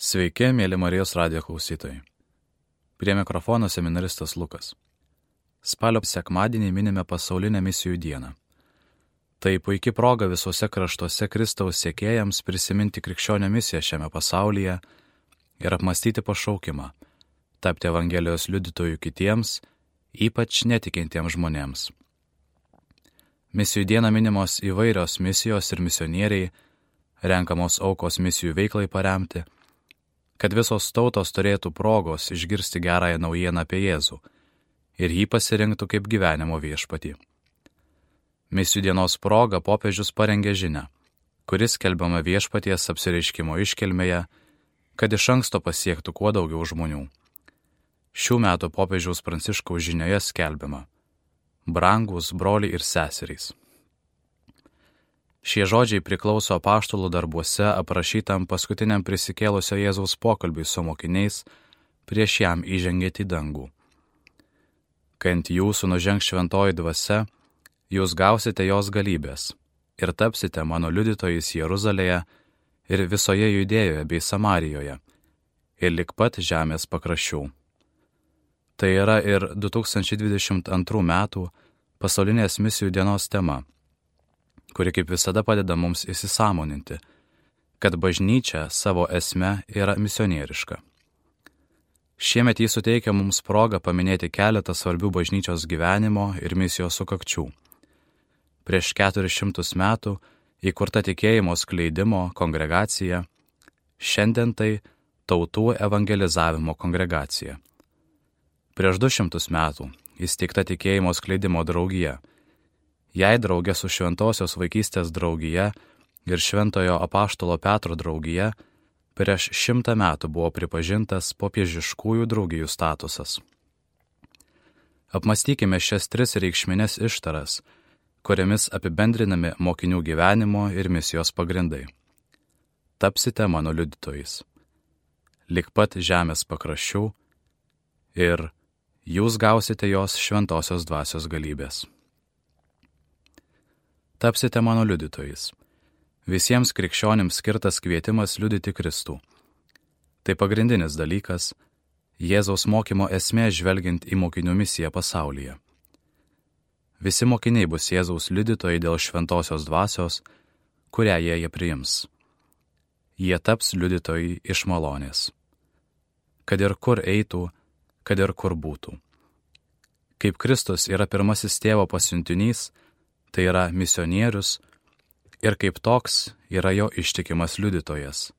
Sveiki, mėly Marijos radijo klausytojai. Prie mikrofono seminaristas Lukas. Spalio sekmadienį minime pasaulinę misijų dieną. Tai puikia proga visuose kraštuose Kristaus sekėjams prisiminti krikščionio misiją šiame pasaulyje ir apmastyti pašaukimą, tapti Evangelijos liudytojų kitiems, ypač netikintiems žmonėms. Misijų dieną minimos įvairios misijos ir misionieriai, renkamos aukos misijų veiklai paremti, kad visos tautos turėtų progos išgirsti gerąją naujieną apie Jėzų ir jį pasirinktų kaip gyvenimo viešpatį. Misijų dienos proga popiežius parengė žinią, kuris skelbiama viešpaties apsireiškimo iškilmėje, kad iš anksto pasiektų kuo daugiau žmonių. Šių metų popiežiaus Pranciškaus žinioje skelbiama: brangūs broliai ir seserys. Šie žodžiai priklauso apaštalų darbuose aprašytam paskutiniam prisikėlusio Jėzaus pokalbiui su mokiniais prieš jam įžengiant į dangų. Kai ant jūsų nužengs šventoji dvasia, jūs gausite jos galybės ir tapsite mano liudytojais Jeruzalėje ir visoje Judėjoje bei Samarijoje ir lig pat žemės pakraščių. Tai yra ir 2022 metų pasaulinės misijų dienos tema, kuri kaip visada padeda mums įsisąmoninti, kad bažnyčia savo esme yra misionieriška. Šiemet jis suteikia mums progą paminėti keletą svarbių bažnyčios gyvenimo ir misijos sukakčių. Prieš 400 metų įkurta tikėjimo skleidimo kongregacija, šiandien tai tautų evangelizavimo kongregacija. Prieš 200 metų įsteigta tikėjimo skleidimo draugija. Jai draugė su Šventosios vaikystės draugija ir Šventojo apaštalo Petro draugija prieš 100 metų buvo pripažintas popiežiškųjų draugijų statusas. Apmastykime šias 3 reikšmines ištaras, kuriamis apibendrinami mokinių gyvenimo ir misijos pagrindai. Tapsite mano liudytojais, lig pat žemės pakraščių ir jūs gausite jos šventosios dvasios galybės. Tapsite mano liudytojais. Visiems krikščionims skirtas kvietimas liudyti Kristų. Tai pagrindinis dalykas, Jėzaus mokymo esmė žvelgiant į mokinių misiją pasaulyje. Visi mokiniai bus Jėzaus liudytojai dėl šventosios dvasios, kurią jie priims. Jie taps liudytojai iš malonės. Kad ir kur eitų, kad ir kur būtų. Kaip Kristus yra pirmasis tėvo pasiuntinys, tai yra misionierius, ir kaip toks yra jo ištikimas liudytojas.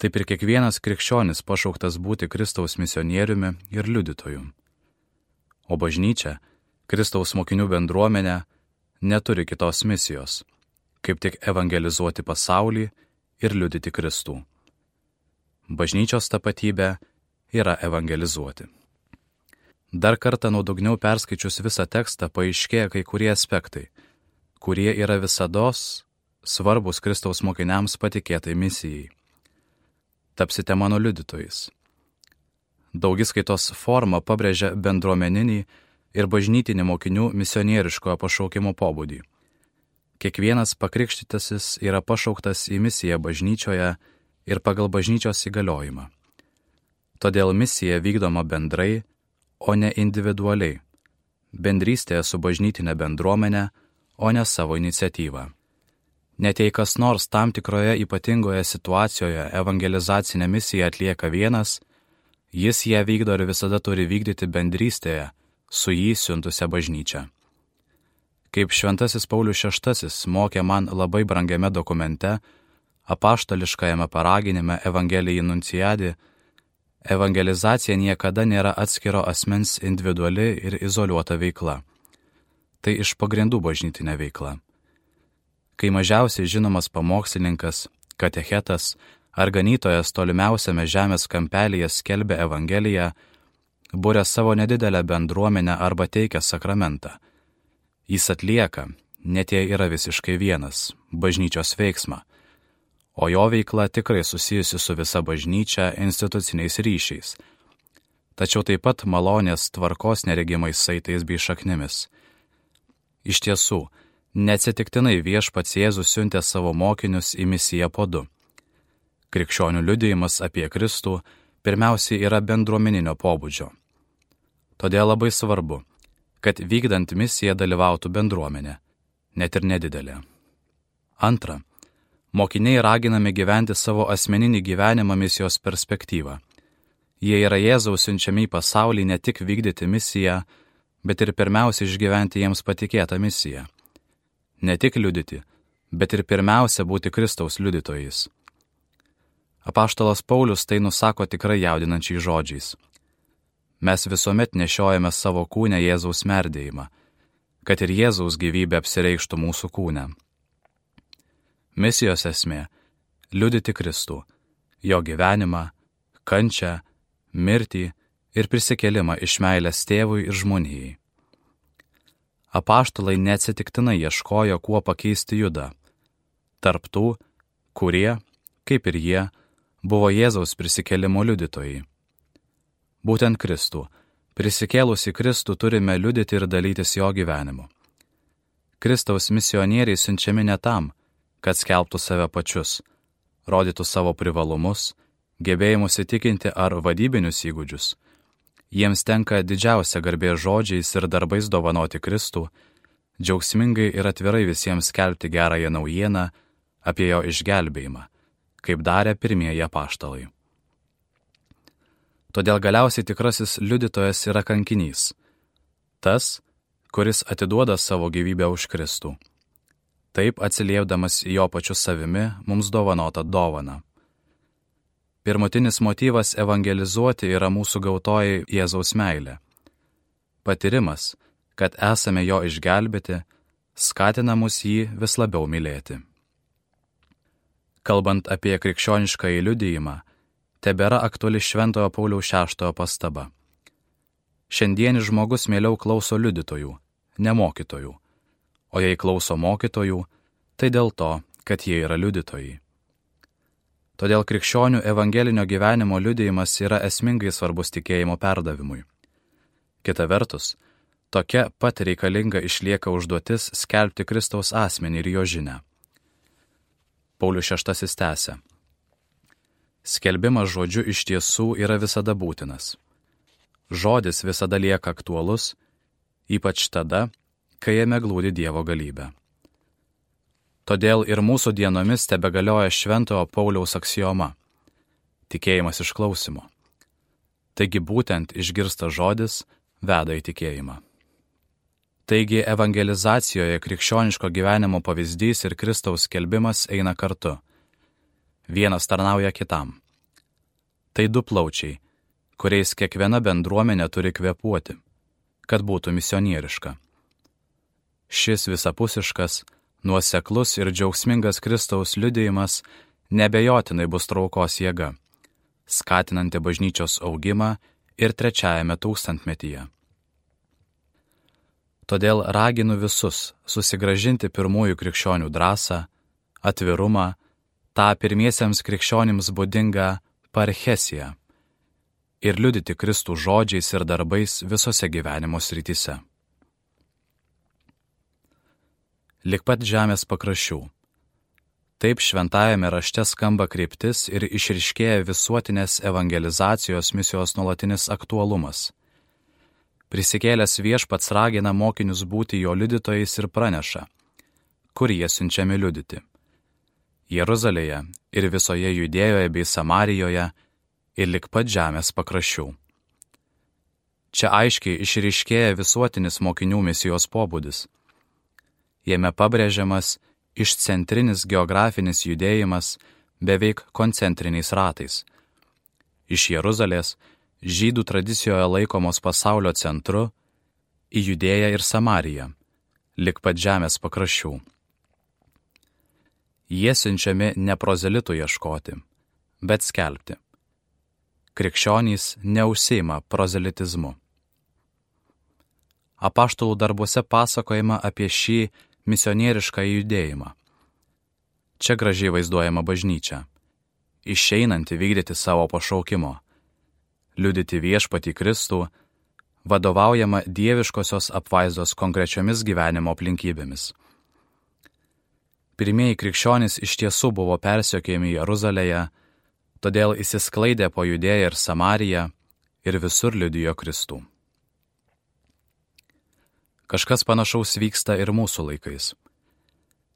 Taip ir kiekvienas krikščionis pašauktas būti Kristaus misionieriumi ir liudytoju. O bažnyčia, Kristaus mokinių bendruomenė, neturi kitos misijos, kaip tik evangelizuoti pasaulį ir liudyti Kristų. Bažnyčios tapatybė yra evangelizuoti. Dar kartą nuodugniau perskaičius visą tekstą paaiškėja kai kurie aspektai, kurie yra visados svarbus Kristaus mokiniams patikėtai misijai. Tapsite mano liudytojais. Daugiskaitos forma pabrėžia bendruomeninį ir bažnytinį mokinių misionieriškojo pašaukimo pobūdį. Kiekvienas pakrikštytasis yra pašauktas į misiją bažnyčioje ir pagal bažnyčios įgaliojimą. Todėl misija vykdoma bendrai, o ne individualiai, bendrystėje su bažnytinė bendruomenė, o ne savo iniciatyva. Net jei kas nors tam tikroje ypatingoje situacijoje evangelizacinę misiją atlieka vienas, jis ją vykdo ir visada turi vykdyti bendrystėje su jį siuntusia bažnyčia. Kaip Šventasis Paulius VI mokė man labai brangiame dokumente, apaštališkajame paraginime Evangelijai Nunciadi, evangelizacija niekada nėra atskiro asmens individuali ir izoliuota veikla. Tai iš pagrindų bažnytinė veikla. Kai mažiausiai žinomas pamokslininkas, katechetas ar ganytojas tolimiausiame žemės kampelyje skelbia Evangeliją, būrė savo nedidelę bendruomenę arba teikia sakramentą. Jis atlieka, net jei yra visiškai vienas, bažnyčios veiksmą, o jo veikla tikrai susijusi su visa bažnyčia instituciniais ryšiais, tačiau taip pat malonės tvarkos neregimais saitais bei šaknimis. Iš tiesų, neatsitiktinai viešpats Jėzus siuntė savo mokinius į misiją po 2. Krikščionių liudijimas apie Kristų pirmiausiai yra bendruomeninio pobūdžio. Todėl labai svarbu, kad vykdant misiją dalyvautų bendruomenė, net ir nedidelė. Antra, mokiniai raginami gyventi savo asmeninį gyvenimą misijos perspektyvą. Jie yra Jėzaus siunčiami į pasaulį ne tik vykdyti misiją, bet ir pirmiausia išgyventi jiems patikėtą misiją. Ne tik liudyti, bet ir pirmiausia būti Kristaus liudytojais. Apaštalas Paulius tai nusako tikrai jaudinančiais žodžiais. Mes visuomet nešiojame savo kūne Jėzaus merdėjimą, kad ir Jėzaus gyvybė apsireikštų mūsų kūne. Misijos esmė – liudyti Kristų, jo gyvenimą, kančią, mirtį ir prisikėlimą iš meilės tėvui ir žmonijai. Apaštalai neatsitiktinai ieškojo, kuo pakeisti Judą, tarp tų, kurie, kaip ir jie, buvo Jėzaus prisikėlimo liudytojai. Būtent Kristų, prisikėlusi Kristų turime liudyti ir dalytis jo gyvenimu. Kristaus misionieriai siunčiami ne tam, kad skelbtų save pačius, rodytų savo privalumus, gebėjimus įtikinti ar vadybinius įgūdžius. Jiems tenka didžiausia garbė žodžiais ir darbais dovanoti Kristų, džiaugsmingai ir atvirai visiems skelbti gerąją naujieną apie jo išgelbėjimą, kaip darė pirmieji apaštalai. Todėl galiausiai tikrasis liudytojas yra kankinys, tas, kuris atiduoda savo gyvybę už Kristų, taip atsiliepdamas jo pačiu savimi mums dovanotą dovaną. Pirmutinis motyvas evangelizuoti yra mūsų gautoji Jėzaus meilė. Patyrimas, kad esame jo išgelbėti, skatina mus jį vis labiau mylėti. Kalbant apie krikščioniškąjį liudijimą, tebėra aktuali Šventojo Pauliaus VI pastaba. Šiandienis žmogus mieliau klauso liudytojų, ne mokytojų, o jei klauso mokytojų, tai dėl to, kad jie yra liudytojai. Todėl krikščionių evangelinio gyvenimo liudijimas yra esmingai svarbus tikėjimo perdavimui. Kita vertus, tokia pat reikalinga išlieka užduotis skelbti Kristaus asmenį ir jo žinią. Paulius VI tęsia. Skelbimas žodžiu iš tiesų yra visada būtinas. Žodis visada lieka aktualus, ypač tada, kai jame glūdi Dievo galybė. Todėl ir mūsų dienomis tebegalioja Šventojo Pauliaus aksioma – tikėjimas iš klausimo. Taigi būtent išgirstas žodis veda į tikėjimą. Taigi evangelizacijoje krikščioniško gyvenimo pavyzdys ir Kristaus skelbimas eina kartu. Vienas tarnauja kitam. Tai du plaučiai, kuriais kiekviena bendruomenė turi kvėpuoti, kad būtų misionieriška. Šis visapusiškas, nuoseklus ir džiaugsmingas Kristaus liudijimas nebejotinai bus traukos jėga, skatinanti bažnyčios augimą ir 3 tūkstantmetyje. Todėl raginu visus susigrąžinti pirmųjų krikščionių drąsą, atvirumą, tą pirmiesiems krikščionims būdingą parchesiją ir liudyti Kristų žodžiais ir darbais visose gyvenimo srityse. Lik pat žemės pakraščių. Taip šventajame rašte skamba kryptis ir išryškėja visuotinės evangelizacijos misijos nuolatinis aktualumas. Prisikėlęs Viešpats ragina mokinius būti jo liudytojais ir praneša, kur jie siunčiami liudyti. Jeruzalėje ir visoje Judėjoje bei Samarijoje ir lik pat žemės pakraščių. Čia aiškiai išryškėja visuotinis mokinių misijos pobūdis. Jame pabrėžiamas išcentrinis geografinis judėjimas beveik koncentriniais ratais. Iš Jeruzalės, žydų tradicijoje laikomos pasaulio centru, į Judėją ir Samariją, lik pat žemės pakraščių. Jie siunčiami ne prozelitų ieškoti, bet skelbti. Krikščionys neužsiima prozelitizmu. Apaštalų darbuose pasakojama apie šį misionierišką judėjimą. Čia gražiai vaizduojama bažnyčia, išeinanti vykdyti savo pašaukimo, liudyti Viešpatį Kristų, vadovaujama dieviškosios apvaizdos konkrečiomis gyvenimo aplinkybėmis. Pirmieji krikščionys iš tiesų buvo persekiojami Jeruzalėje, Todėl įsisklaidė po Judėją ir Samariją ir visur liudijo Kristų. Kažkas panašaus vyksta ir mūsų laikais.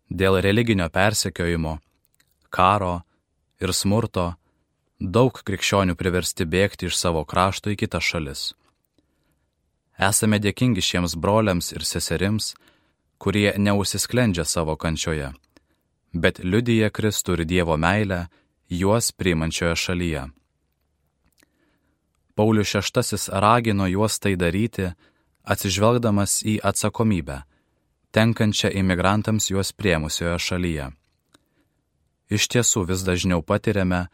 Dėl religinio persekiojimo, karo ir smurto daug krikščionių priversti bėgti iš savo krašto į kitas šalis. Esame dėkingi šiems broliams ir seserims, kurie neužsisklendžia savo kančioje, bet liudija Kristų ir Dievo meilę juos priimančioje šalyje. Paulius VI ragino juos tai daryti, atsižvelgdamas į atsakomybę, tenkančią imigrantams juos priėmusioje šalyje. Iš tiesų vis dažniau patiriame,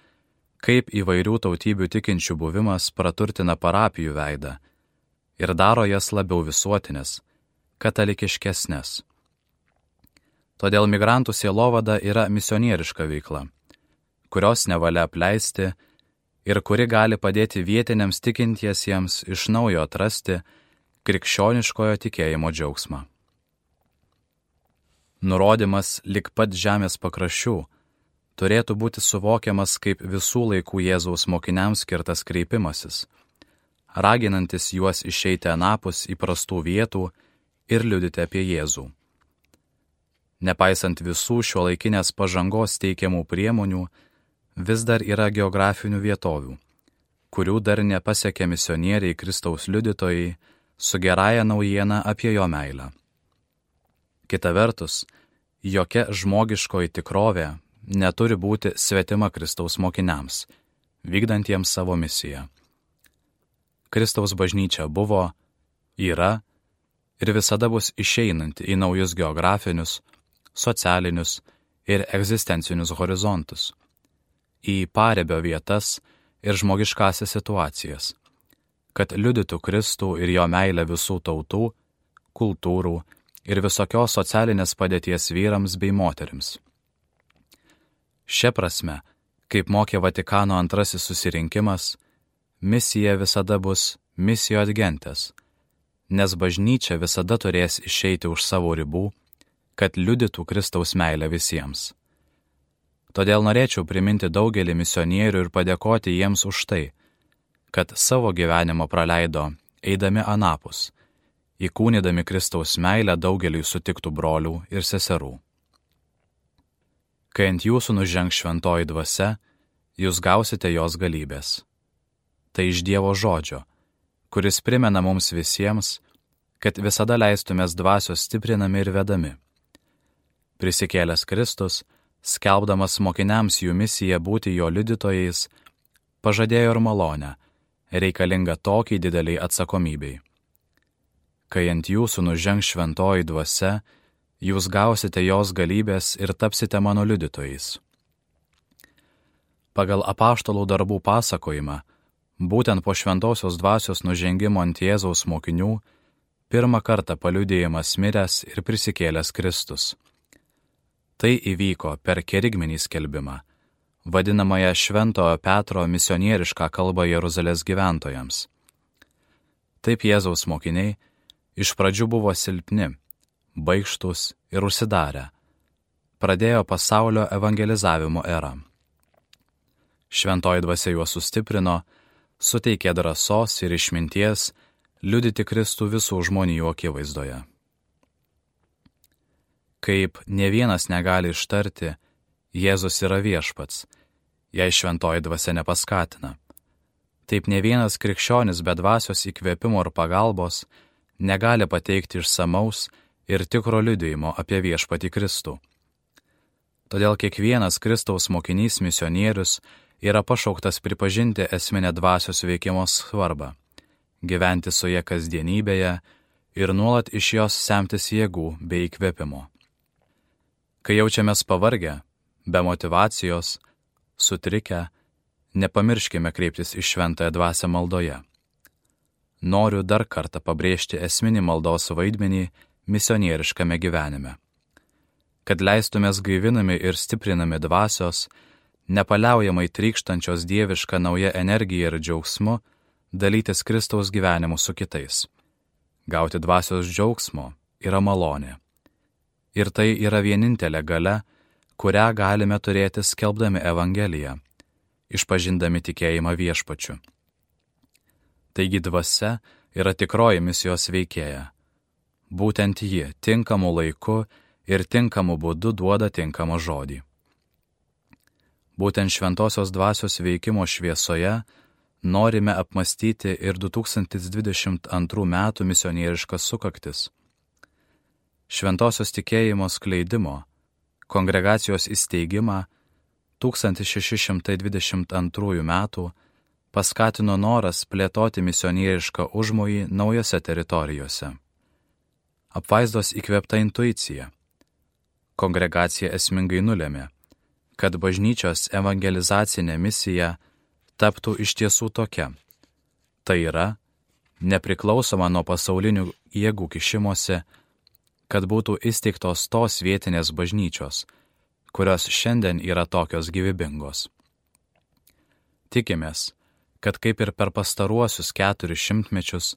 kaip įvairių tautybių tikinčių buvimas praturtina parapijų veidą ir daro jas labiau visuotinės, katalikiškesnės. Todėl migrantų sielovada yra misionieriška veikla, kurios nevalia apleisti ir kuri gali padėti vietiniams tikintiesiems iš naujo atrasti krikščioniškojo tikėjimo džiaugsmą. Nurodymas lig pat žemės pakraščių turėtų būti suvokiamas kaip visų laikų Jėzaus mokiniams skirtas kreipimasis, raginantis juos išeiti anapus įprastų vietų ir liudyti apie Jėzų. Nepaisant visų šiuolaikinės pažangos teikiamų priemonių, vis dar yra geografinių vietovių, kurių dar nepasiekė misionieriai Kristaus liudytojai su gerąja naujiena apie jo meilę. Kita vertus, jokia žmogiškoji tikrovė neturi būti svetima Kristaus mokiniams, vykdantiems savo misiją. Kristaus bažnyčia buvo, yra ir visada bus išeinanti į naujus geografinius, socialinius ir egzistencinius horizontus, į paribio vietas ir žmogiškasias situacijas, kad liudytų Kristų ir jo meilę visų tautų, kultūrų ir visokios socialinės padėties vyrams bei moterims. Šia prasme, kaip mokė Vatikano II susirinkimas, misija visada bus misijo ad gentes, nes bažnyčia visada turės išeiti už savo ribų, kad liudytų Kristaus meilę visiems. Todėl norėčiau priminti daugelį misionierių ir padėkoti jiems už tai, kad savo gyvenimą praleido eidami anapus, įkūnydami Kristaus meilę daugeliui sutiktų brolių ir seserų. Kai ant jūsų nužengs šventoji dvasia, jūs gausite jos galybės. Tai iš Dievo žodžio, kuris primena mums visiems, kad visada leistumės dvasios stiprinami ir vedami. Prisikėlęs Kristus, skelbdamas mokiniams jų misiją būti jo liudytojais, pažadėjo ir malonę, reikalingą tokiai dideliai atsakomybei. Kai ant jūsų nužengs šventoji dvasia, jūs gausite jos galybės ir tapsite mano liudytojais. Pagal apaštalų darbų pasakojimą, būtent po šventosios dvasios nužengimo ant Jėzaus mokinių, pirmą kartą paliudijamas miręs ir prisikėlęs Kristus. Tai įvyko per kerigminį skelbimą, vadinamąją Šventojo Petro misionierišką kalbą Jeruzalės gyventojams. Taip Jėzaus mokiniai iš pradžių buvo silpni, baikštus ir užsidarę. Pradėjo pasaulio evangelizavimo erą. Šventoji dvasia juos sustiprino, suteikė drąsos ir išminties liudyti Kristų visų žmonijų akivaizdoje. Kaip ne vienas negali ištarti, Jėzus yra viešpats, jei šventoji dvasia nepaskatina. Taip ne vienas krikščionis be dvasios įkvėpimo ir pagalbos negali pateikti išsamaus ir tikro liudijimo apie viešpatį Kristų. Todėl kiekvienas Kristaus mokinys misionierius yra pašauktas pripažinti esminę dvasios veikimo svarbą, gyventi su ja kasdienybėje ir nuolat iš jos semtis jėgų bei įkvėpimo. Kai jaučiamės pavargę, be motyvacijos, sutrikę, nepamirškime kreiptis į šventąją dvasią maldoje. Noriu dar kartą pabrėžti esminį maldos vaidmenį misionieriškame gyvenime. Kad leistumės gaivinami ir stiprinami dvasios, nepaliaujamai trykštančios dievišką naują energiją ir džiaugsmu, dalytis Kristaus gyvenimu su kitais. Gauti dvasios džiaugsmo yra malonė. Ir tai yra vienintelė galia, kurią galime turėti skelbdami Evangeliją, išpažindami tikėjimą viešpačiu. Taigi dvasia yra tikroji misijos veikėja. Būtent ji tinkamu laiku ir tinkamu būdu duoda tinkamą žodį. Būtent šventosios dvasios veikimo šviesoje norime apmastyti ir 2022 metų misionieriškas sukaktis. Šventosios tikėjimo skleidimo, kongregacijos įsteigimą 1622 metų paskatino noras plėtoti misionierišką užmojį naujose teritorijose. Apvaizdos įkvėpta intuicija. Kongregacija esmingai nulėmė, kad bažnyčios evangelizacinė misija taptų iš tiesų tokia. Tai yra, nepriklausoma nuo pasaulinių jėgų kišimosi, kad būtų įsteigtos tos vietinės bažnyčios, kurios šiandien yra tokios gyvybingos. Tikimės, kad kaip ir per pastaruosius 400 mečius,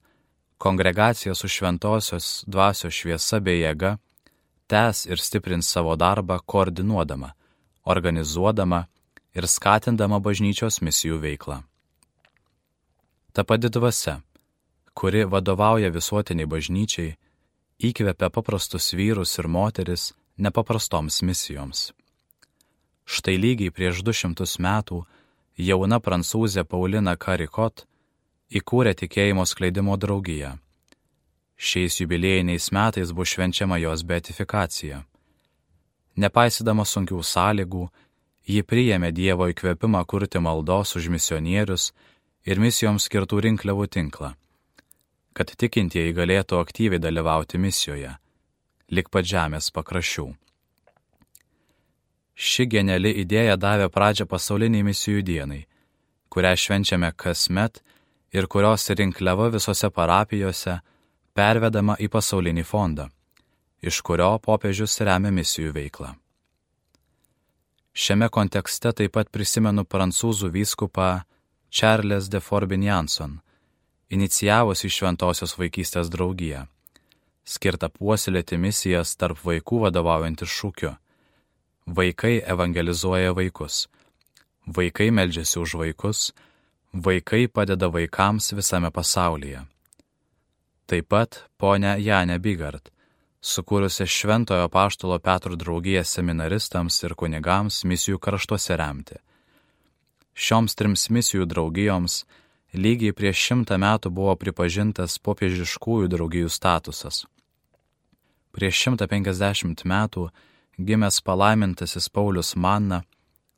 kongregacija su šventosios dvasios šviesa bei jėga tęs ir stiprins savo darbą koordinuodama, organizuodama ir skatindama bažnyčios misijų veiklą. Ta pati dvasia, kuri vadovauja visuotiniai bažnyčiai, įkvepia paprastus vyrus ir moteris nepaprastoms misijoms. Štai lygiai prieš 200 metų jauna prancūzė Paulina Karikot įkūrė tikėjimo skleidimo draugiją. Šiais jubiliejiniais metais bus švenčiama jos beatifikacija. Nepaisydama sunkių sąlygų, ji priėmė Dievo įkvėpimą kurti maldos už misionierius ir misijoms skirtų rinkliavų tinklą, kad tikintieji galėtų aktyviai dalyvauti misijoje, lik pat žemės pakraščių. Ši geniali idėja davė pradžią pasauliniai misijų dienai, kurią švenčiame kasmet ir kurios rinkliava visose parapijose pervedama į pasaulinį fondą, iš kurio popiežius remia misijų veiklą. Šiame kontekste taip pat prisimenu prancūzų vyskupą Charles de Forbin-Janson, inicijavusi šventosios vaikystės draugiją, skirtą puoselėti misijas tarp vaikų vadovaujantis šūkiu: vaikai evangelizuoja vaikus, vaikai meldžiasi už vaikus, vaikai padeda vaikams visame pasaulyje. Taip pat ponia Janė Bigart, sukūrusi Šventojo Apaštalo Petro draugiją seminaristams ir kunigams misijų kraštuose remti. Šioms 3 misijų draugijoms lygiai prieš 100 metų buvo pripažintas popiežiškųjų draugijų statusas. Prieš 150 metų gimęs palaimintasis Paulius Manna,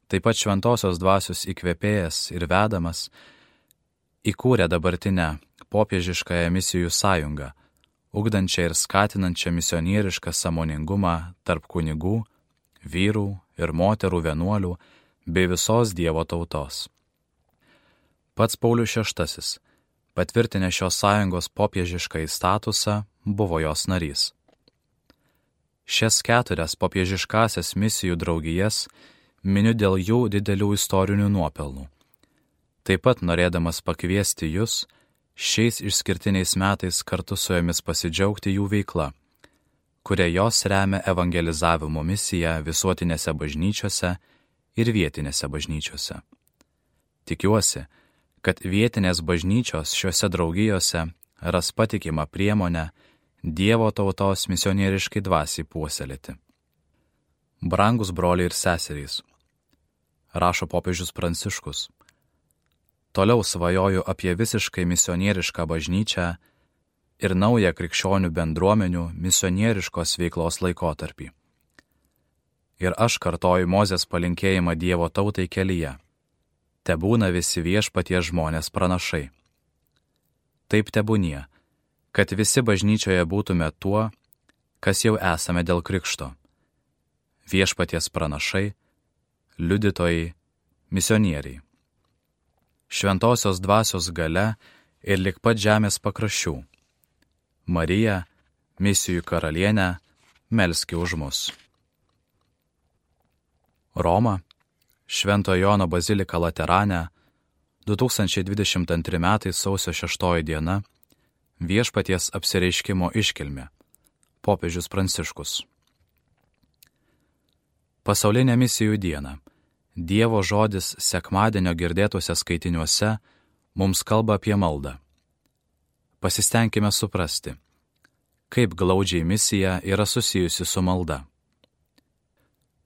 taip pat šventosios dvasios įkvėpėjas ir vedamas, įkūrė dabartinę popiežiškąją misijų sąjungą, ugdančią ir skatinančią misionierišką sąmoningumą tarp kunigų, vyrų ir moterų vienuolių bei visos Dievo tautos. Pats Paulius VI, patvirtinę šios sąjungos popiežiškąjį statusą, buvo jos narys. Šias 4 popiežiškasias misijų draugijas miniu dėl jų didelių istorinių nuopelnų. Taip pat norėdamas pakviesti jūs šiais išskirtiniais metais kartu su jomis pasidžiaugti jų veikla, kuria jos remia evangelizavimo misiją visuotinėse bažnyčiose ir vietinėse bažnyčiose. Tikiuosi, kad vietinės bažnyčios šiuose draugijose ras patikimą priemonę Dievo tautos misionieriškai dvasiai puoselėti. Brangus broliai ir seserys, rašo popiežius Pranciškus, toliau svajoju apie visiškai misionierišką bažnyčią ir naują krikščionių bendruomenių misionieriškos veiklos laikotarpį. Ir aš kartoju Mozės palinkėjimą Dievo tautai kelyje: tebūna visi viešpaties žmonės pranašai. Taip tebūnie, kad visi bažnyčioje būtume tuo, kas jau esame dėl krikšto: viešpaties pranašai, liudytojai, misionieriai. Šventosios dvasios galia ir lik pat žemės pakraščių. Marija, misijų karalienė, melski už mus. Roma, Šventojo Jono bazilika Laterane, 2022 metai sausio 6 diena, viešpaties apsireiškimo iškilmė, popiežius Pranciškus. Pasaulinė misijų diena, Dievo žodis sekmadienio girdėtuose skaitiniuose mums kalba apie maldą. Pasistengime suprasti, kaip glaudžiai misija yra susijusi su malda.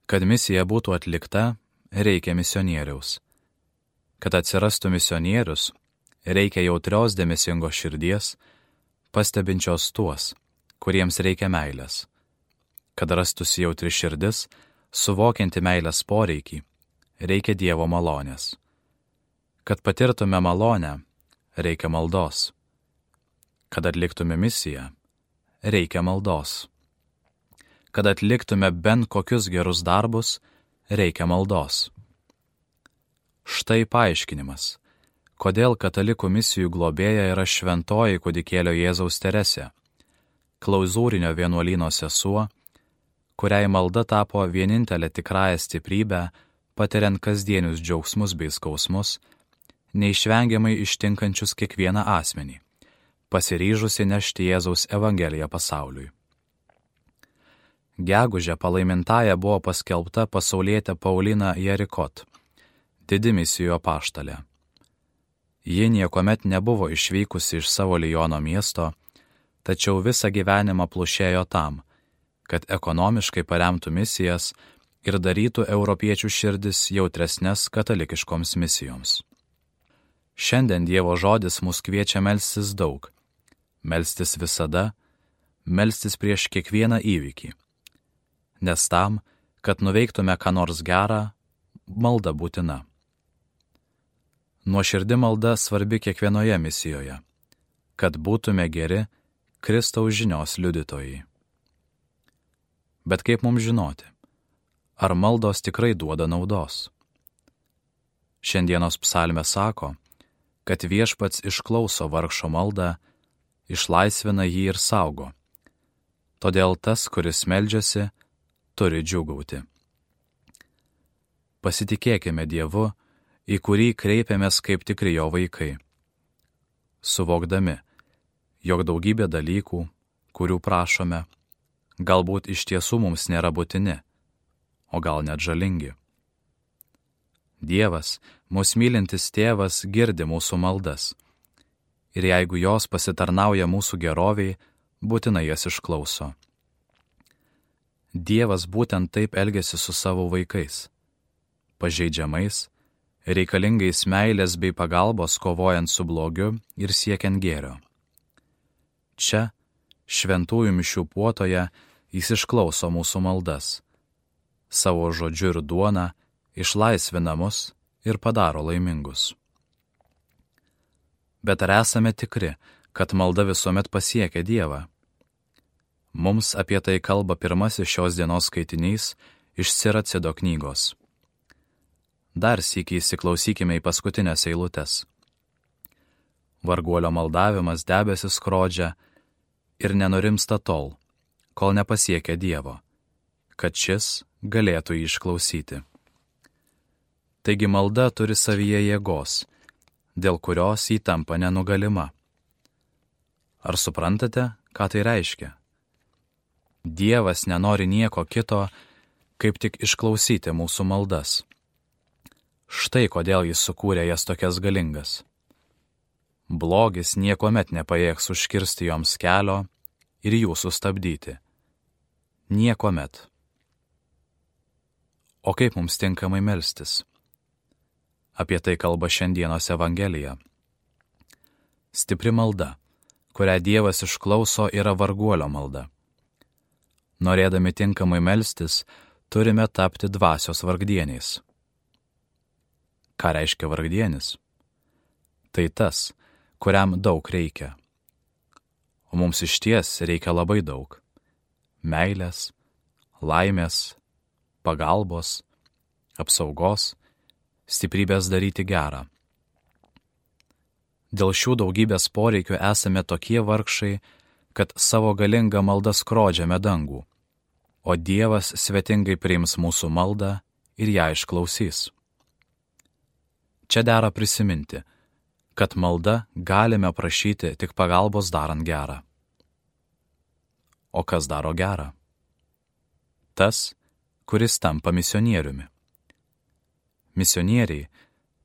Kad misija būtų atlikta, reikia misionieriaus. Kad atsirastų misionierius, reikia jautrios dėmesingos širdies, pastebinčios tuos, kuriems reikia meilės. Kad rastųsi jautri širdis, suvokianti meilės poreikį, reikia Dievo malonės. Kad patirtume malonę, reikia maldos. Kad atliktume misiją, reikia maldos. Kad atliktume bent kokius gerus darbus, reikia maldos. Štai paaiškinimas, kodėl katalikų misijų globėja yra šventoji kūdikėlio Jėzaus Teresė, klauzūrinio vienuolyno sesuo, kuriai malda tapo vienintelė tikrąją stiprybę, patiriant kasdienius džiaugsmus bei skausmus, neišvengiamai ištinkančius kiekvieną asmenį, pasiryžusi nešti Jėzaus evangeliją pasauliui. Gegužę palaimintąja buvo paskelbta pasaulietė Paulina Jerikot, didi misijų apaštalė. Ji niekuomet nebuvo išvykusi iš savo Liono miesto, tačiau visą gyvenimą plušėjo tam, kad ekonomiškai paremtų misijas ir darytų europiečių širdis jautresnes katalikiškoms misijoms. Šiandien Dievo žodis mus kviečia melstis daug, melstis visada, melstis prieš kiekvieną įvykį. Nes tam, kad nuveiktume ką nors gerą, malda būtina. Nuoširdi malda svarbi kiekvienoje misijoje, kad būtume geri Kristaus žinios liudytojai. Bet kaip mums žinoti, ar maldos tikrai duoda naudos? Šiandienos psalmė sako, kad Viešpats išklauso vargšo maldą, išlaisvina jį ir saugo. Todėl tas, kuris meldžiasi, turi džiūgauti. Pasitikėkime Dievu, į kurį kreipiamės kaip tikri jo vaikai, suvokdami, jog daugybė dalykų, kurių prašome, galbūt iš tiesų mums nėra būtini, o gal net žalingi. Dievas, mus mylintis tėvas, girdi mūsų maldas, ir jeigu jos pasitarnauja mūsų geroviai, būtinai jas išklauso. Dievas būtent taip elgiasi su savo vaikais, pažeidžiamais, reikalingais meilės bei pagalbos kovojant su blogiu ir siekiant gėrio. Čia, šventųjų mišių puotoje, jis išklauso mūsų maldas, savo žodžiu ir duona išlaisvina mus ir padaro laimingus. Bet ar esame tikri, kad malda visuomet pasiekia Dievą? Mums apie tai kalba pirmasis šios dienos skaitinys iš Siracido knygos. Dar sykį įsiklausykime į paskutinės eilutes. Varguolio maldavimas debesis skrodžia ir nenurimsta tol, kol nepasiekia Dievo, kad šis galėtų jį išklausyti. Taigi malda turi savyje jėgos, dėl kurios jį tampa nenugalima. Ar suprantate, ką tai reiškia? Dievas nenori nieko kito, kaip tik išklausyti mūsų maldas. Štai kodėl jis sukūrė jas tokias galingas. Blogis niekuomet nepajėgs užkirsti joms kelio ir jų sustabdyti. Niekuomet. O kaip mums tinkamai melstis? Apie tai kalba šiandienos Evangelija. Stipri malda, kurią Dievas išklauso, yra varguolio malda. Norėdami tinkamai melstis, turime tapti dvasios vargdieniais. Ką reiškia vargdienis? Tai tas, kuriam daug reikia. O mums išties reikia labai daug. Meilės, laimės, pagalbos, apsaugos, stiprybės daryti gerą. Dėl šių daugybės poreikių esame tokie vargšai, kad savo galingą maldą skrodžiame dangų, o Dievas svetingai priims mūsų maldą ir ją išklausys. Čia dera prisiminti, kad malda galime prašyti tik pagalbos darant gerą. O kas daro gerą? Tas, kuris tampa misionieriumi. Misionieriai –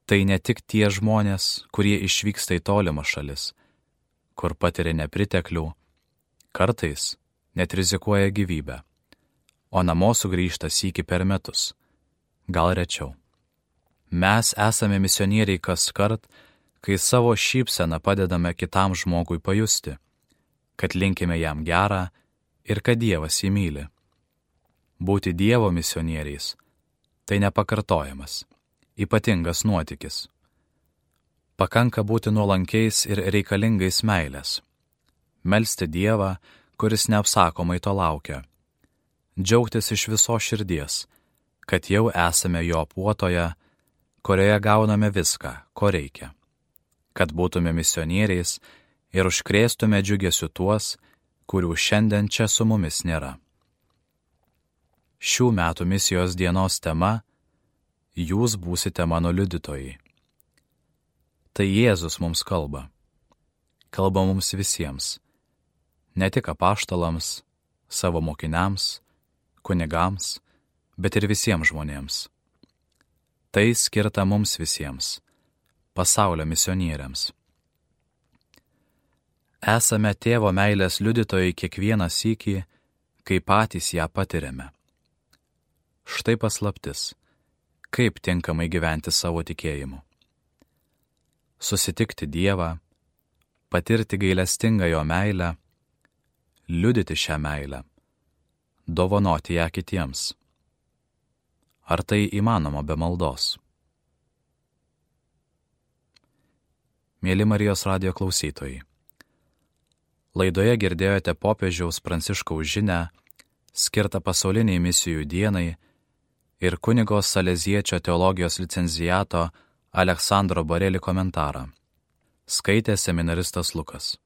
tai ne tik tie žmonės, kurie išvyksta į tolimas šalis, kur patiria nepriteklių, kartais net rizikuoja gyvybę, o namo sugrįžta sykį per metus, gal rečiau. Mes esame misionieriai kaskart, kai savo šypseną padedame kitam žmogui pajusti, kad linkime jam gerą ir kad Dievas jį myli. Būti Dievo misionieriais – tai nepakartojamas, ypatingas nuotykis. Pakanka būti nuolankiais ir reikalingais meilės, melsti Dievą, kuris neapsakomai to laukia, džiaugtis iš visos širdies, kad jau esame jo puotoje, kurioje gauname viską, ko reikia, kad būtume misionieriais ir užkrėstume džiugesiu tuos, kurių šiandien čia su mumis nėra. Šių metų misijos dienos tema – Jūs būsite mano liudytojai. Tai Jėzus mums kalba. Kalba mums visiems, ne tik apaštalams, savo mokiniams, kunigams, bet ir visiems žmonėms. Tai skirta mums visiems, pasaulio misionieriams. Esame Tėvo meilės liudytojai kiekvieną sykį, kai patys ją patiriame. Štai paslaptis, kaip tinkamai gyventi savo tikėjimu. Susitikti Dievą, patirti gailestingą jo meilę, liudyti šią meilę, dovanoti ją kitiems. Ar tai įmanoma be maldos? Mieli Marijos radijo klausytojai, laidoje girdėjote popiežiaus Pranciškaus žinią, skirtą pasauliniai misijų dienai ir kunigo Saleziečio teologijos licenciato Aleksandro Bareli komentarą. Skaitė seminaristas Lukas.